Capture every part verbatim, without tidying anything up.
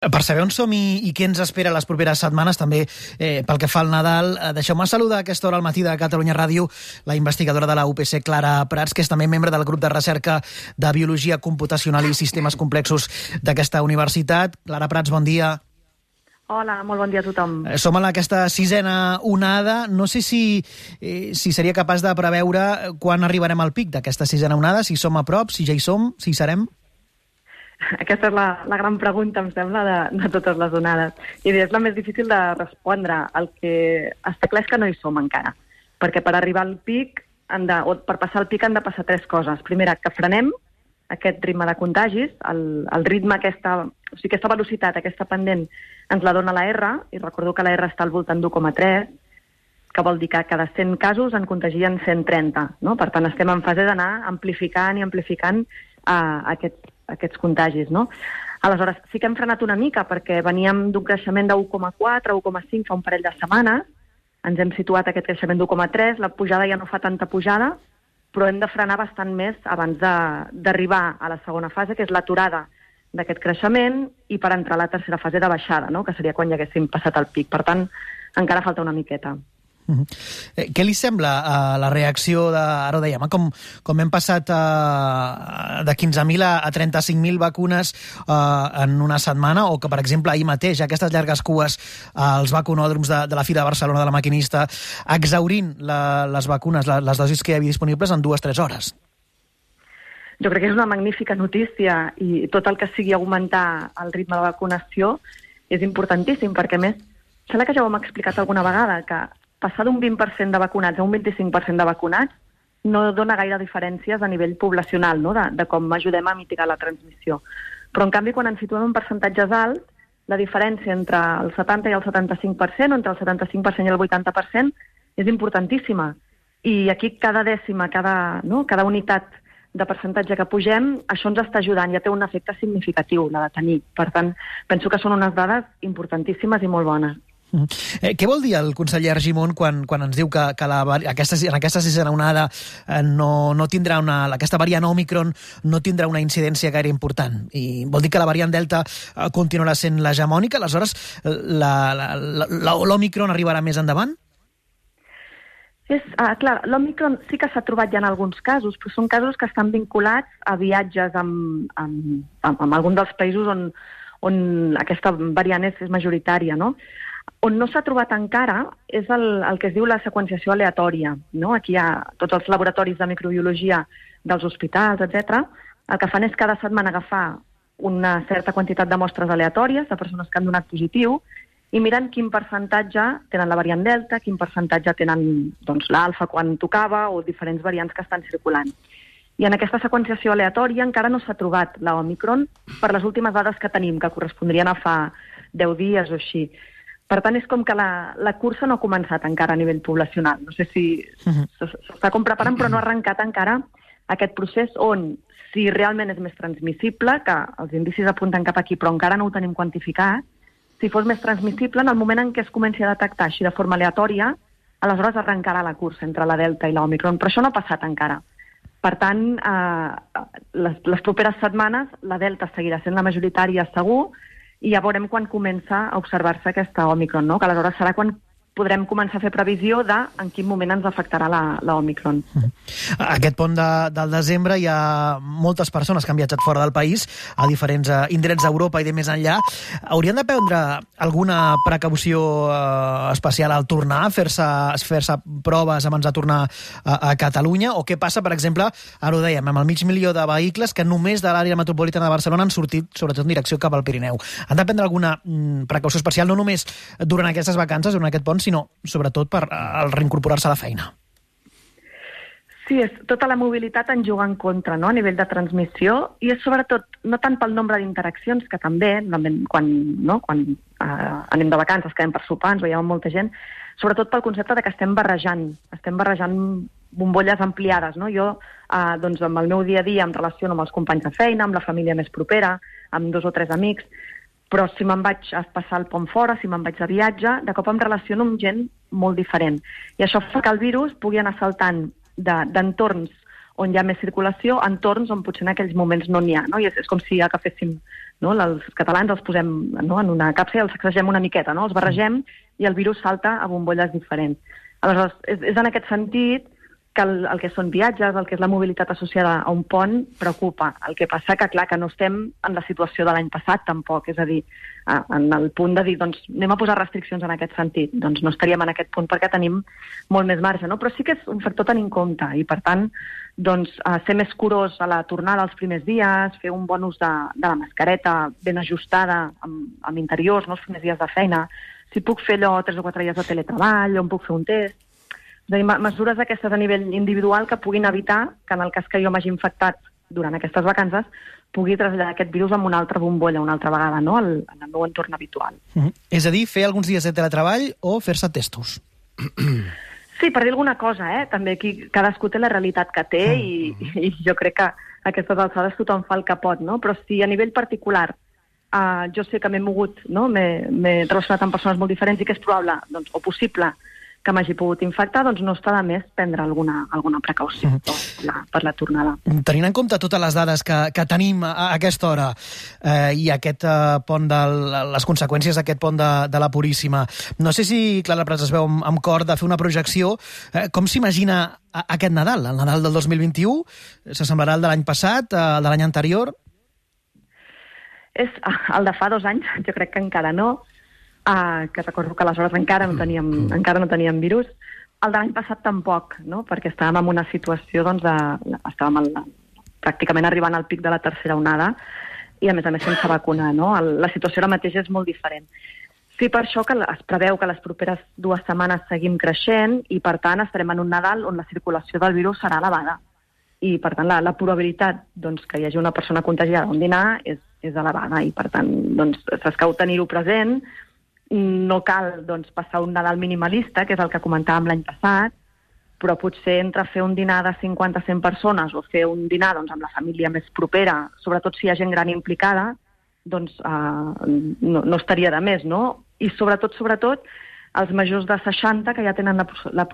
Per saber on som i, i què ens espera les properes setmanes, també eh, pel que fa al Nadal, eh, deixeu-me saludar a aquesta hora al matí de Catalunya Ràdio la investigadora de la U P C, Clara Prats, que és també membre del grup de recerca de Biologia Computacional i Sistemes Complexos d'aquesta universitat. Clara Prats, bon dia. Hola, molt bon dia a tothom. Eh, som en aquesta sisena onada. No sé si, eh, si seria capaç de preveure quan arribarem al pic d'aquesta sisena onada, si som a prop, si ja hi som, si hi serem. Aquesta és la, la gran pregunta, em sembla, de, de totes les onades. I és la més difícil de respondre. El que està clar és que no hi som encara. Perquè per arribar al pic, han de, o per passar al pic han de passar tres coses. Primera, que frenem aquest ritme de contagis, el, el ritme, aquesta, o sigui, aquesta velocitat, aquesta pendent, ens la dona la R, i recordo que la R està al voltant d'u coma tres, que vol dir que cada cent casos en contagien cent trenta. No? Per tant, estem en fase d'anar amplificant i amplificant uh, aquest aquests contagis, no? Aleshores, sí que hem frenat una mica perquè veníem d'un creixement de u coma quatre, u coma cinc fa un parell de setmanes, ens hem situat aquest creixement d'u coma tres, la pujada ja no fa tanta pujada, però hem de frenar bastant més abans d'arribar a la segona fase, que és l'aturada d'aquest creixement, i per entrar a la tercera fase de baixada, no? Que seria quan ja haguéssim passat el pic. Per tant, encara falta una miqueta. Uh-huh. Eh, què li sembla uh, la reacció de, ara ho dèiem, com, com hem passat uh, de quinze mil a, a trenta-cinc mil vacunes uh, en una setmana, o que, per exemple, ahir mateix, aquestes llargues cues uh, als vacunòdroms de, de la Fira de Barcelona de la Maquinista, exhaurint la, les vacunes, la, les dosis que hi havia disponibles en dues o tres hores? Jo crec que és una magnífica notícia, i tot el que sigui augmentar el ritme de vacunació és importantíssim, perquè, a més, sembla que ja ho hem explicat alguna vegada, que passar d'un vint per cent de vacunats a un vint-i-cinc per cent de vacunats no dona gaire diferències a nivell poblacional, no? de, de com ajudem a mitigar la transmissió. Però, en canvi, quan ens situem en percentatges alts, la diferència entre el setanta i el setanta-cinc per cent, o entre el setanta-cinc per cent i el vuitanta per cent, és importantíssima. I aquí cada dècima, cada, no? cada unitat de percentatge que pugem, això ens està ajudant, ja té un efecte significatiu, la de tenir. Per tant, penso que són unes dades importantíssimes i molt bones. Uh-huh. Eh, què vol dir el conseller Argimon quan, quan ens diu que, que la, aquesta, en aquesta sisena onada eh, no, no tindrà una, aquesta variant Òmicron no tindrà una incidència gaire important? I vol dir que la variant Delta eh, continuarà sent l'hegemònica? Aleshores, l'Òmicron arribarà més endavant? És, uh, clar, l'Òmicron sí que s'ha trobat ja en alguns casos, però són casos que estan vinculats a viatges amb, amb, amb, amb algun dels països on, on aquesta variant és, és majoritària, no? On no s'ha trobat encara és el, el que es diu la seqüenciació aleatòria. No? Aquí hi ha tots els laboratoris de microbiologia dels hospitals, etcètera. El que fan és cada setmana agafar una certa quantitat de mostres aleatòries de persones que han donat positiu i miren quin percentatge tenen la variant Delta, quin percentatge tenen doncs, l'alfa quan tocava o diferents variants que estan circulant. I en aquesta seqüenciació aleatòria encara no s'ha trobat la Òmicron per les últimes dades que tenim, que correspondrien a fa deu dies o així. Per tant, és com que la, la cursa no ha començat encara a nivell poblacional. No sé si s'està com preparant, però no ha arrencat encara aquest procés on, si realment és més transmissible, que els indicis apunten cap aquí, però encara no ho tenim quantificat, si fos més transmissible, en el moment en què es comenci a detectar així de forma aleatòria, aleshores arrencarà la cursa entre la Delta i l'Òmicron, però això no ha passat encara. Per tant, eh, les, les properes setmanes la Delta seguirà sent la majoritària segur, i ja veurem quan comença a observar-se aquesta Òmicron, no? Que aleshores serà quan podrem començar a fer previsió de en quin moment ens afectarà la, la Òmicron. Aquest pont de, del desembre hi ha moltes persones que han viatjat fora del país a diferents uh, indrets d'Europa i de més enllà. Haurien de prendre alguna precaució uh, especial al tornar, fer-se fer-se proves abans de tornar a, a Catalunya? O què passa, per exemple, ara ho dèiem, amb el mig milió de vehicles que només de l'àrea metropolitana de Barcelona han sortit, sobretot en direcció cap al Pirineu. Han de prendre alguna mm, precaució especial, no només durant aquestes vacances, durant aquest pont, sinó sobretot per al reincorporar-se a la feina. Sí, és, tota la mobilitat en juga en contra, no?, a nivell de transmissió, i és sobretot, no tant pel nombre d'interaccions, que també, quan, no, quan uh, anem de vacances, quedem per sopar, ens veiem amb molta gent, sobretot pel concepte de que estem barrejant, estem barrejant bombolles ampliades, no? Jo, uh, doncs, amb el meu dia a dia em relaciono amb els companys de feina, amb la família més propera, amb dos o tres amics, però si me'n vaig a passar el pont fora, si me'n vaig de viatge, de cop em relaciono amb gent molt diferent. I això fa que el virus pugui anar saltant d'entorns on hi ha més circulació, entorns on potser en aquells moments no n'hi ha, no? I és, és com si agaféssim, no? Els catalans els posem, no? En una capsa i els sacsegem una miqueta, no? Els barregem i el virus salta a bombolles diferents. Aleshores, és, és en aquest sentit que el, el que són viatges, el que és la mobilitat associada a un pont, preocupa. El que passa que, clar, que no estem en la situació de l'any passat, tampoc. És a dir, en el punt de dir, doncs, anem a posar restriccions en aquest sentit. Doncs no estaríem en aquest punt perquè tenim molt més marge, no? Però sí que és un factor a tenir en compte i, per tant, doncs, ser més curós a la tornada els primers dies, fer un bon ús de, de la mascareta ben ajustada amb, amb interiors, no? Els primers dies de feina. Si puc fer allò tres o quatre dies de teletreball, on puc fer un test. És a dir, mesures aquestes a nivell individual que puguin evitar que en el cas que jo m'hagi infectat durant aquestes vacances pugui traslladar aquest virus amb una altra bombolla una altra vegada, no? El, en el meu entorn habitual. Mm-hmm. És a dir, fer alguns dies de teletreball o fer-se testos? Sí, per dir alguna cosa, eh? També aquí cadascú té la realitat que té i, i jo crec que a aquestes alçades tothom fa el que pot, no? Però si a nivell particular uh, jo sé que m'he mogut, no? M'he relacionat amb persones molt diferents i que és probable, doncs, o possible, que m'hagi pogut infectar, doncs no està de més prendre alguna, alguna precaució per la, per la tornada. Tenint en compte totes les dades que, que tenim a, a aquesta hora eh, i aquest eh, pont de les conseqüències d'aquest pont de, de la Puríssima, no sé si Clara Prats es veu amb, amb cor de fer una projecció. Eh, com s'imagina aquest Nadal? El Nadal del dos mil vint-i-u s'assemblarà al de l'any passat, el de l'any anterior? És el de fa dos anys, jo crec que encara no. Uh, que recordo que aleshores encara no teníem, mm. encara no teníem virus. El de l'any passat tampoc, no? Perquè estàvem en una situació, doncs, de, estàvem el, pràcticament arribant al pic de la tercera onada i, a més a més, sense vacunar, no? El, la situació ara mateix és molt diferent. Sí, per això que es preveu que les properes dues setmanes seguim creixent i, per tant, estarem en un Nadal on la circulació del virus serà elevada. I, per tant, la, la probabilitat, doncs, que hi hagi una persona contagiada a un dinar és, és elevada i, per tant, doncs, s'escau tenir-ho present. No cal, doncs, passar un Nadal minimalista, que és el que comentàvem l'any passat, però potser entre fer un dinar de cinquanta a cent persones o fer un dinar, doncs, amb la família més propera, sobretot si hi ha gent gran implicada, doncs eh, no, no estaria de més, no? I sobretot, sobretot, els majors de seixanta, que ja tenen la, la,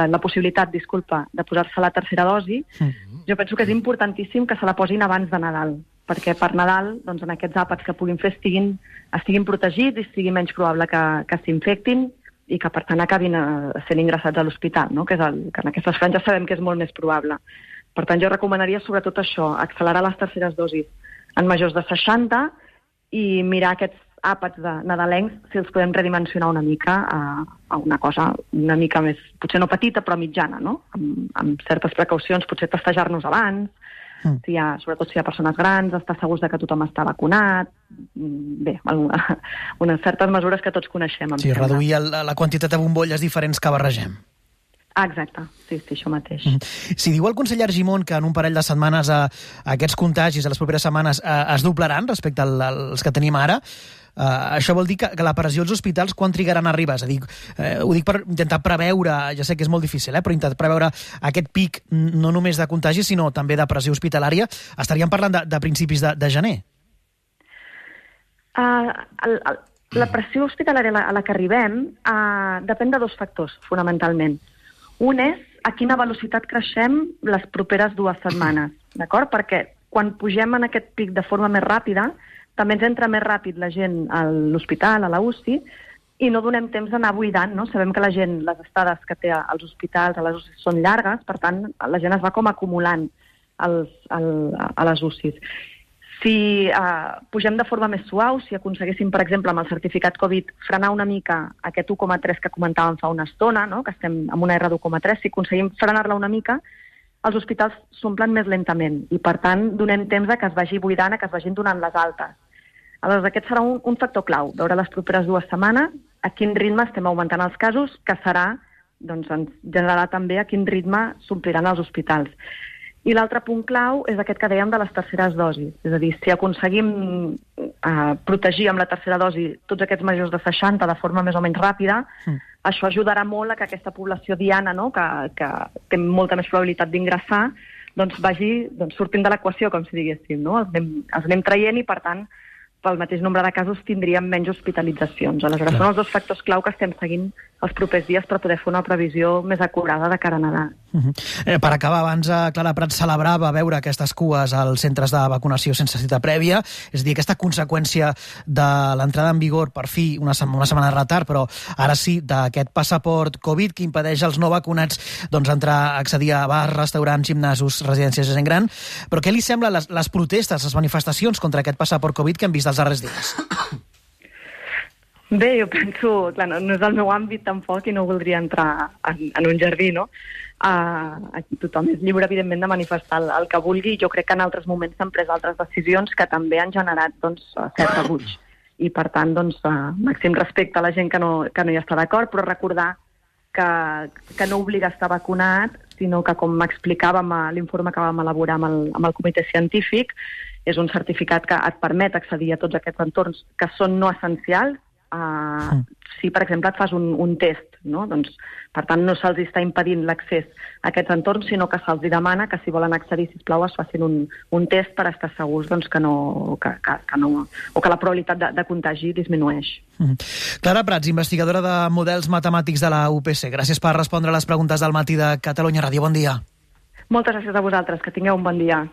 la possibilitat, disculpa, de posar-se la tercera dosi, mm-hmm. jo penso que és importantíssim que se la posin abans de Nadal, perquè per Nadal, doncs, en aquests àpats que puguin fer estiguin, estiguin protegits i sigui menys probable que, que s'infectin i que, per tant, acabin sent ingressats a l'hospital, no? Que, és el, que en aquestes franges sabem que és molt més probable. Per tant, jo recomanaria sobretot això, accelerar les terceres dosis en majors de seixanta i mirar aquests àpats de nadalencs si els podem redimensionar una mica a, a una cosa una mica més, potser no petita, però mitjana, no? Amb, amb certes precaucions, potser testejar-nos abans, mm. si hi ha, sobretot si hi ha persones grans, estar segurs de que tothom està vacunat, bé, alguna, unes certes mesures que tots coneixem. Sí, sembla. Reduir el, la quantitat de bombolles diferents que barregem. Ah, exacte, sí, sí, això mateix. Mm. Si diu el conseller Argimon que en un parell de setmanes a, a aquests contagis, a les properes setmanes, a, es doblaran respecte al, als que tenim ara, Uh, això vol dir que, que la pressió als hospitals quan trigaran a arribar? És a dir, eh, ho dic per intentar preveure, ja sé que és molt difícil, eh, però intentar preveure aquest pic no només de contagi, sinó també de pressió hospitalària. Estaríem parlant de, de principis de, de gener? Uh, el, el, la pressió hospitalària a la, a la que arribem uh, depèn de dos factors, fonamentalment. Un és a quina velocitat creixem les properes dues setmanes, d'acord? Perquè quan pugem en aquest pic de forma més ràpida, també ens entra més ràpid la gent a l'hospital, a la U C I, i no donem temps d'anar buidant, no? Sabem que la gent, les estades que té als hospitals, a les U C I són llargues, per tant, la gent es va com acumulant als, al, a les U C Is. Si uh, pugem de forma més suau, si aconseguéssim, per exemple, amb el certificat Covid, frenar una mica aquest u coma tres que comentàvem fa una estona, no? Que estem amb una R d'u coma tres, si aconseguim frenar-la una mica, els hospitals s'omplen més lentament i, per tant, donem temps a que es vagi buidant, a que es vagin donant les altes. Aleshores, aquest serà un, un factor clau, veure les properes dues setmanes a quin ritme estem augmentant els casos, que serà, doncs, ens generarà també a quin ritme s'ompliran els hospitals. I l'altre punt clau és aquest que dèiem de les terceres dosis. És a dir, si aconseguim eh, protegir amb la tercera dosi tots aquests majors de seixanta de forma més o menys ràpida, mm. això ajudarà molt a que aquesta població diana, no?, que, que té molta més probabilitat d'ingressar, doncs vagi doncs, sortint de l'equació, com si diguéssim, no? Els anem, els anem traient i, per tant, pel mateix nombre de casos tindríem menys hospitalitzacions. Aleshores, Clar. són els dos factors clau que estem seguint els propers dies per poder fer una previsió més acurada de cara a Nadal. Uh -huh. eh, per acabar, abans Clara Prat celebrava veure aquestes cues als centres de vacunació sense cita prèvia, és a dir, aquesta conseqüència de l'entrada en vigor, per fi, una, una setmana de retard, però ara sí, d'aquest passaport Covid que impedeix als no vacunats doncs, entrar, accedir a bars, restaurants, gimnasos, residències de gent gran. Però què li sembla les, les protestes, les manifestacions contra aquest passaport Covid que hem vist els darrers dies? Bé, jo penso, clar, no, no és el meu àmbit tampoc i no voldria entrar en, en un jardí, no? Uh, aquí tothom és lliure, evidentment, de manifestar el, el que vulgui. Jo crec que en altres moments s'han pres altres decisions que també han generat doncs, cert rebuig. I, per tant, doncs, uh, màxim respecte a la gent que no, que no hi està d'acord, però recordar que, que no obliga a estar vacunat, sinó que, com m'explicàvem a l'informe que vam elaborar amb el, amb el comitè científic, és un certificat que et permet accedir a tots aquests entorns que són no essencials. Uh, si, per exemple, et fas un, un test, no? Doncs, per tant, no se'ls està impedint l'accés a aquests entorns, sinó que se'ls demana que si volen accedir, sisplau, es facin un, un test per estar segurs doncs, que no, que, que, que no, o que la probabilitat de, de contagi disminueix. Mm. Clara Prats, investigadora de models matemàtics de la U P C. Gràcies per respondre a les preguntes del Matí de Catalunya Ràdio. Bon dia. Moltes gràcies a vosaltres. Que tingueu un bon dia.